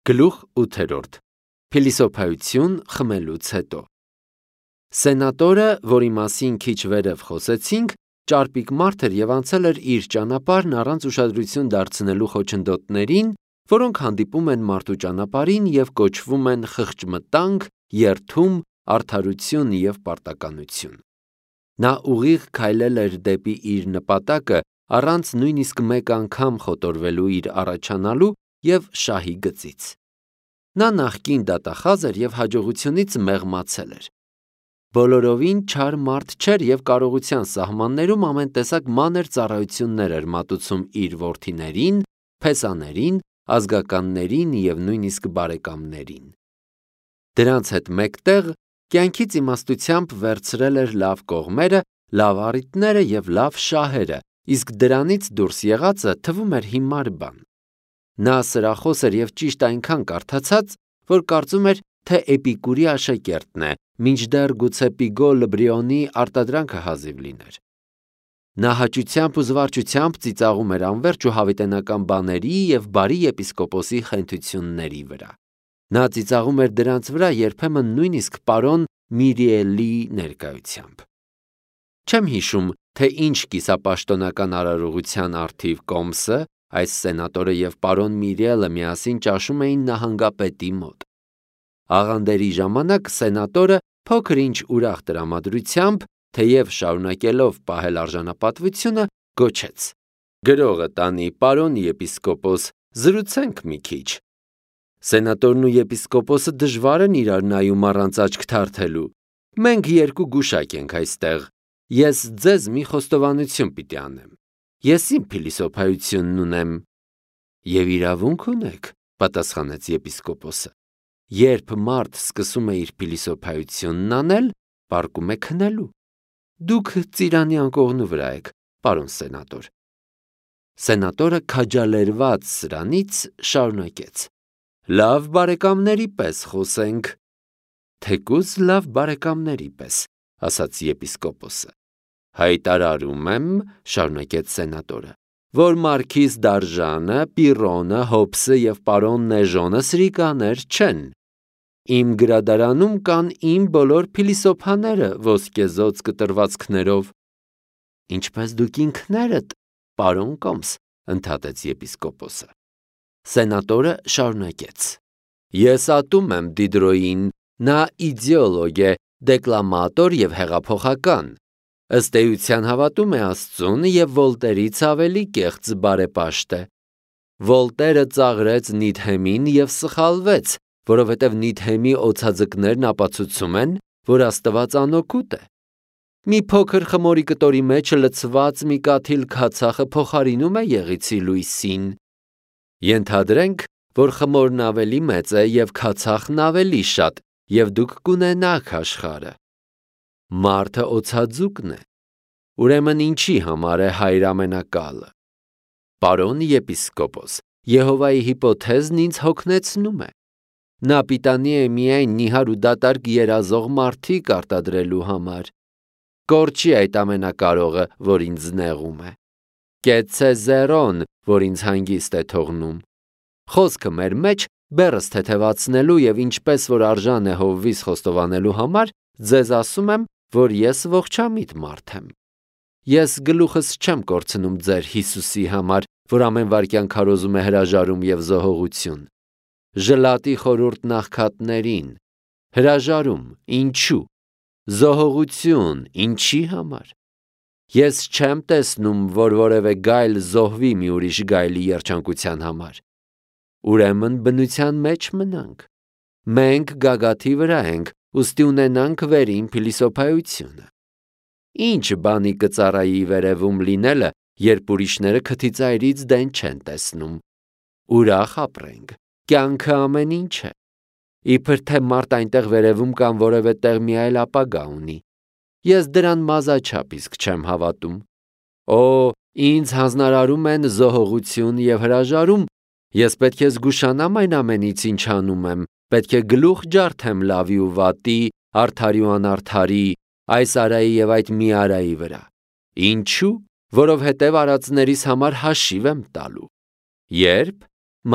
Գլուխ 8. Փիլիսոփայություն խմելուց հետո Սենատորը, որի մասին քիչ վերև խոսեցինք, ճարպիկ մարդ էր և անցել էր իր ճանապարհն առանց ուշադրություն դարձնելու խոչընդոտներին, որոնք հանդիպում են մարդու ճանապարհին և կոչվում են խղճմտանք, երդում, արդարություն և պարտականություն։ Նա ուղիղ քայլել էր դեպի իր նպատակը առանց նույնիսկ մեկ անգամ խոտորվելու իր առաջանալու և շահի գծից։ Նա նախկին դատախազ էր և հաջողությունից մեղմացել էր։ Բոլորովին չար մարդ չէր և կարողության սահմաններում ամեն տեսակ մանր ծառայություններ էր մատուցում իր որդիներին, փեսաներին, ազգականներին և նույնիսկ բարեկամներին։ Դրանց հետ մեկտեղ կյանքից իմաստությամբ վերցրել էր լավ կողմերը, լավ առիթները և լավ շահերը, իսկ դրանից դուրս եղածը թվում էր հիմար բան։ Նա սրախոս էր և ճիշտ այնքան կարդացած, որ կարծում էր, թե Էպիկուրի աշակերտն է, մինչդեռ գուցե Պիգոլ Բրիոնի արտադրանքը հազիվ լիներ։ Նա հաճությամբ ու զվարճությամբ ծիծաղում էր անվերջ ու հավիտենական բաների և բարի եպիսկոպոսի խենթությունների վրա։ Նա ծիծաղում էր դրանց վրա երբեմն նույնիսկ պարոն Միրիելի ներկայությամբ։ Չեմ հիշում, թե ինչ կիսապաշտոնական արարողության առթիվ Կոմսը, այս սենատորը և պարոն Միրիելը միասին ճաշում էին նահանգապետի մոտ։ Աղանդերի ժամանակ սենատորը փոքր-ինչ ուրախ տրամադրությամբ, թեև շարունակելով պահել արժանապատվությունը, գոչեց. «Գրողը տանի, պարոն եպիսկոպոս, զրուցենք մի քիչ»։ Սենատորն ու եպիսկոպոսը դժվար են իրար նայում առանց աչք թարթելու։ Մենք երկու գուշակ ենք այստեղ։ Ես ձեզ մի խոստովանություն պիտի անեմ։ Ես իմ փիլիսոփայությունն ունեմ։ Եվ իրավունք ունեք, պատասխանեց եպիսկոպոսը։ Երբ մարդ սկսում է իր փիլիսոփայությունն անել, պառկում է քնելու։ Դուք ծիրանի անկողնու վրա եք, պարոն սենատոր։ Սենատորը քաջալերված սրանից շարունակեց. Լավ բարեկամների պես խոսենք։ Թեկուզ լավ բարեկամների պես, ասաց եպիսկոպոսը։ Հայտարարում եմ, շարունակեց սենատորը, որ Մարքիզ Դարժանը, Պիրոնը, Հոբսը և պարոն Նեժոնը սրիկաներ չեն։ Իմ գրադարանում կան իմ բոլոր փիլիսոփաները ոսկեզօծ կտրվածքներով։ Ինչպես դուք ինքներդ, պարոն Կոմս, ընդհատեց եպիսկոպոսը։ Սենատորը շարունակեց. Ես ատում եմ Դիդրոյին, նա իդեոլոգ է, դեկլամատոր և հեղափոխական։ Ըստ էության հավատում է Աստծուն և Վոլտերից ավելի կեղծ բարեպաշտ է։ Վոլտերը ծաղրեց Նիդհեմին և սխալվեց, որովհետև Նիդհեմի օձաձկներն ապացուցում են, որ Աստված անօգուտ է։ Մի փոքր խմորի կտորի մեջ լցված մի կաթիլ քացախը փոխարինում է եղիցի լույսին։ Ենթադրենք, որ խմորն ավելի մեծ է և քացախն ավելի շատ, և դուք կունենաք աշխարհը։ Մարդը օձաձուկն է։ Ուրեմն ինչի համար է Հայր ամենակալը։ Պարոն եպիսկոպոս, Եհովայի հիպոթեզն ինձ հոգնեցնում է։ Նա պիտանի է միայն նիհար ու դատարկ երազող մարդիկ արտադրելու համար։ Կորչի այդ ամենակարողը, որ ինձ նեղում է։ Կեցցե զերոն, որ ինձ հանգիստ է թողնում։ Խոսքը մեր մեջ բեռս թեթևացնելու և ինչպես որ արժան է Հովվիս խոստովանելու համար, ձեզ ասում եմ, որ ես ողջամիտ մարդ եմ։ Ես գլուխս չեմ կորցնում ձեր Հիսուսի համար, որ ամեն վայրկյան քարոզում է հրաժարում և զոհողություն։ Ժլատի խորհուրդն աղքատներին։ Հրաժարում, ինչու։ Զոհողություն, ինչի համար։ Ես չեմ տեսնում, որ որևէ գայլ զոհվի մի ուրիշ գայլի երջանկության համար։ Ուրեմն բնության մեջ մնանք։ Մենք գագաթի վրա ենք, ուստի ունենանք վերին փիլիսոփայությունը։ Ինչ բանի կծառայի վերևում լինելը, երբ ուրիշները քթիծայրից դեն չեն տեսնում։ Ուրախ ապրենք, կյանքը ամեն ինչ է։ Իբր թե մարդ այնտեղ վերևում կամ որևէ տեղ մի այլ ապագա ունի։ Ես դրան մազաչափ իսկ չեմ հավատում։ Օ, ինձ հանձնարարում են զոհողություն և հրաժարում, ես պետք է զգուշանամ այն ամենից, ինչ անում եմ, պետք է գլուխ ջարդեմ լավի ու վատի, արդարի ու անարդարի, այս արայի և այդ մի արայի վրա։ Ինչու՞։ Որովհետև արածներիս համար հաշիվ եմ տալու։ Ե՞րբ։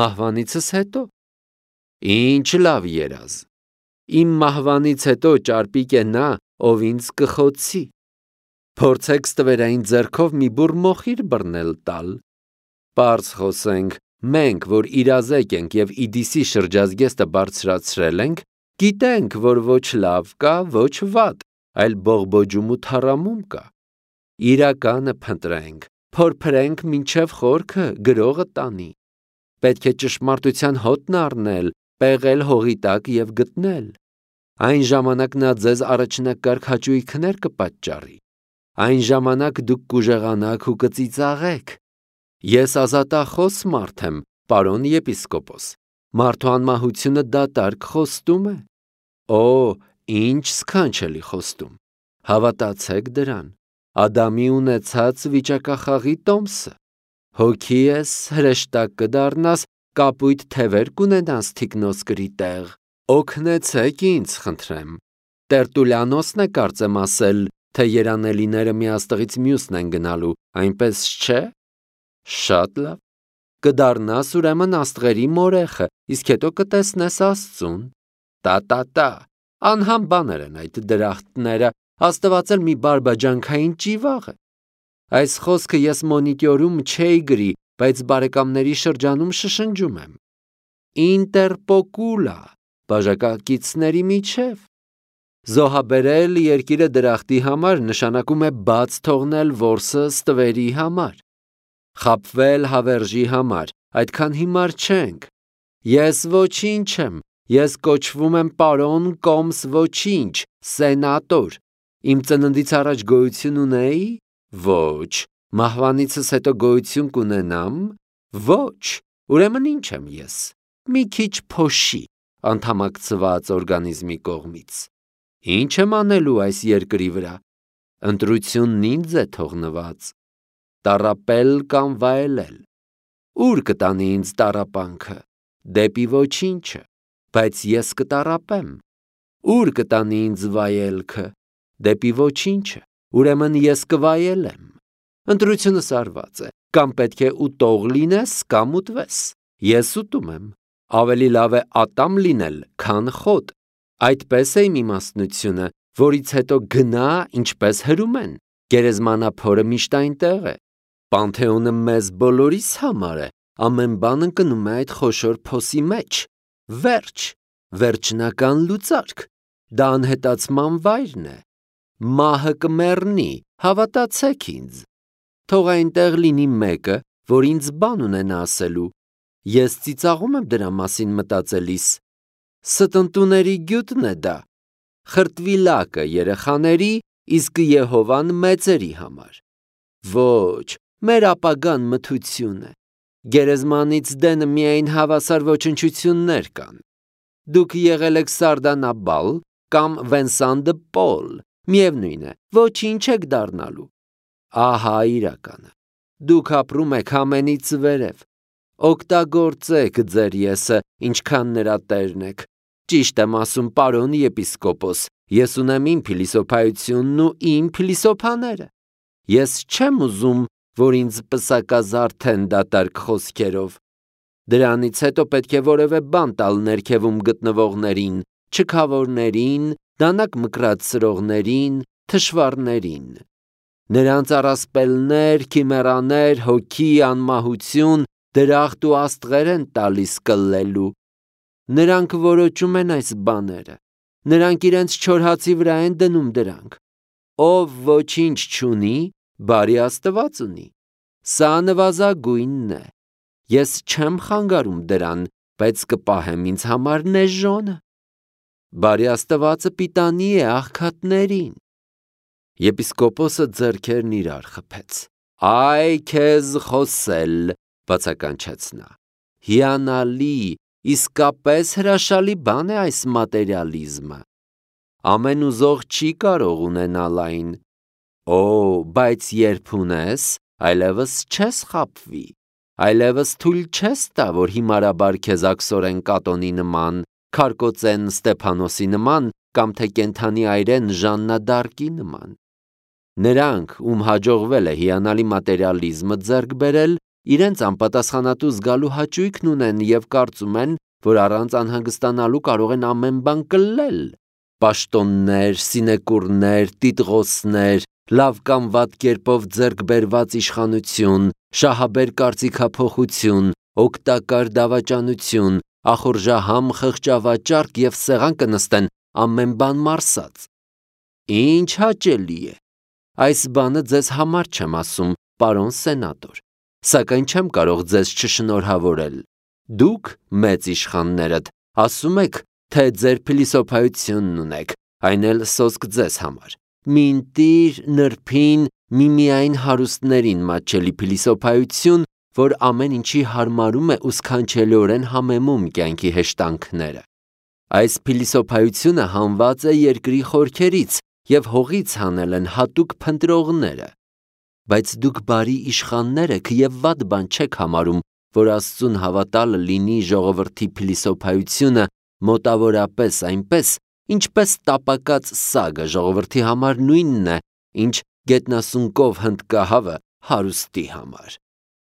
Մահվանիցս հետո։ Ինչ լավ երազ։ Իմ մահվանից հետո ճարպիկ է նա, ով ինձ կխոցի։ Փորձեք ստվերային ձեռքով մի բուռ մոխիր բռնել տալ։ Պարզ խոսենք, մենք, որ իրազեկ ենք եւ Իդիսի շրջազգեստը բարձրացրել ենք, գիտենք, որ ոչ լավ կա, ոչ վատ, այլ բողբոջում ու թառամում կա։ Իրականը փնտրենք, փորփրենք մինչև խորքը գրողը տանի։ Պետք է ճշմարտության հոտն առնել, պեղել հողի տակ եւ գտնել։ Այն ժամանակ նա ձեզ առաջնակարգ հաճույքներ կպատճառի։ Այն ժամանակ դուք կուժեղանաք ու կծիծաղեք։ Ես ազատախոս մարդ եմ, պարոն եպիսկոպոս։ Մարդու անմահությունը դատարկ խոստում է։ Օ, ինչ սքանչելի խոստում։ Հավատացեք դրան։ Ադամի ունեցած վիճակախաղի տոմսը։ Հոգի ես, հրեշտակ կդառնաս, կապույտ թևեր կունենաս թիկնոսկրի տեղ։ Օգնեցեք ինձ, խնդրեմ։ Տերտուլյանոսն է կարծեմ ասել, թե երանելիները մի աստղից մյուսն են գնալու, այնպես չէ։ Շատ լավ։ Կդառնաս ուրեմն աստղերի մորեխը, իսկ հետո կտեսնես Աստծուն։ Տա, անհամ բաներ են այդ դրախտները, Աստված էլ մի բարբաջանքային ճիվաղ է։ Այս խոսքը ես մոնիտորում չէի գրի, բայց բարեկամների շրջանում շշնջում եմ։ Ինտերպոկուլա, բաժակակիցների միջև։ Զոհաբերել երկիրը դրախտի համար նշանակում է բաց թողնել որսը ստվերի համար։ Խաբվել հավերժի համար, այդքան հիմար չենք։ Ես ոչինչ եմ, ես կոչվում եմ պարոն Կոմս ոչինչ, սենատոր։ Իմ ծննդից առաջ գոյություն ունեի։ Ոչ։ Մահվանիցս հետո գոյություն կունենամ։ Ոչ։ Ուրեմն ինչ եմ ես։ Մի քիչ փոշի, անդամակցված օրգանիզմի կողմից։ Ինչ եմ անելու այս երկրի վրա։ Ընտրությունն ինձ է թողնված։ Տառապել կամ վայելել։ Ուր կտանի ինձ տառապանքը։ Դեպի ոչինչը, բայց ես կտառապեմ։ Ուր կտանի ինձ վայելքը։ Դեպի ոչինչը, ուրեմն ես կվայելեմ։ Ընտրությունը սարված է, կամ պետք է ուտող լինես, կամ ուտվես։ Ես ուտում եմ։ Ավելի լավ է ատամ լինել, քան խոտ։ Այդպես է իմ իմաստնությունը, որից հետո գնա, ինչպես հրում են։ Գերեզմանափորը միշտ այնտեղ է։ Պանթեոնը մեզ բոլորիս համար է, ամեն բան ընկնում է այդ խոշոր փոսի մեջ։ Վերջ, վերջնական լուծարկ, դա անհետացման վայրն է։ Մահը կմեռնի, հավատացեք ինձ։ Թող այնտեղ լինի մեկը, որ ինձ բան ունենա ասելու։ Ես ծիծաղում եմ դրա մասին մտածելիս։ Ստնտուների գյուտն է դա։ Խրտվի լակը երեխաների, իսկ Եհովան մեծերի համար։ Ոչ, մեր ապագան մթություն է։ Գերեզմանից դեն միայն հավասար ոչնչություններ կան։ Դուք եղել եք Սարդանաբալ կամ Վենսան դը Պոլ, միևնույն է, ոչինչ եք դառնալու։ Ահա իրականը։ Դուք ապրում եք ամենից վերև։ Օգտագործեք ձեր եսը, ինչքան նրա տերն եք։ Ճիշտ եմ ասում, պարոն եպիսկոպոս, ես ունեմ իմ փիլիսոփայությունն ու իմ փիլիսոփաները։ Ես չեմ ուզում, որ ինձ պսակազարդեն դատարկ խոսքերով։ Դրանից հետո պետք է որևէ բան տալ ներքևում գտնվողներին, չքավորներին, դանակ մկրած սրողներին, թշվառներին։ Նրանց առասպելներ, քիմերաներ, հոգի, անմահություն, դրախտ ու աստղեր են տալիս կլլելու։ Նրանք որոճում են այս բաները։ Նրանք իրենց չորհացի վրա են դնում դրանք։ Ով ոչինչ չունի, բարի Աստված ունի։ Սա նվազագույնն է։ Ես չեմ խանգարում դրան, բայց կպահեմ ինձ համար նեժոնը։ Բարի Աստվածը պիտանի է աղքատներին։ Եպիսկոպոսը ձեռքերն իրար խփեց։ Այ քեզ խոսել, բացականչեց նա։ Հիանալի, իսկապես հրաշալի բան է այս մատերիալիզմը։ Ամեն ուզող չի կարող ունենալ այն։ Օ, բայց երբ ունես, այլևս չես խաբվի, այլևս թույլ չես տա, որ հիմարաբար քեզ աքսորեն Կատոնի նման, Քարկոծեն Ստեփանոսի նման, կամ թե կենթանի այրեն Ժաննա դարկի նման։ Նրանք, ում հաջողվել է հիանալի մատերիալիզմը ձեռք բերել, իրենց անպատասխանատու զգալու հաճույքն ունեն և կարծում են, որ առանց անհանգստանալու կարող են ամեն բան կլել. պաշտոններ, սինեկուրներ, տիտղոսներ, լավ կամ վատ կերպով ձեռք բերված իշխանություն, շահաբեր կարծիքափոխություն, օգտակար դավաճանություն, ախորժահամ խղճավաճառք և սեղան կնստեն ամեն բան մարսած։ Ինչ հաճելի է։ Այս բանը ձեզ համար չեմ ասում, պարոն սենատոր, սակայն չեմ կարող ձեզ չշնորհավորել։ Դուք, մեծ իշխաններդ, ասում եք, թե ձեր փիլիսոփայությունն ունեք, այն էլ սոսկ ձեզ համար։ Մինտիր, նրբին, միմիայն հարուստներին մատչելի փիլիսոփայություն, որ ամեն ինչի հարմարում է ու սքանչելիորեն համեմում կյանքի հեշտանքները։ Այս փիլիսոփայությունը հանված է երկրի խորքերից և հողից հանել են հատուկ փնտրողները։ Բայց դուք բարի իշխաններ եք և վատ բան չեք համարում, որ Աստծուն հավատալը լինի ժողովրդի փիլիսոփայությունը մոտավորապես այնպես, ինչպես տապակած սագը ժողովրդի համար նույնն է, ինչ գետնասունկով հնդկահավը հարուստի համար։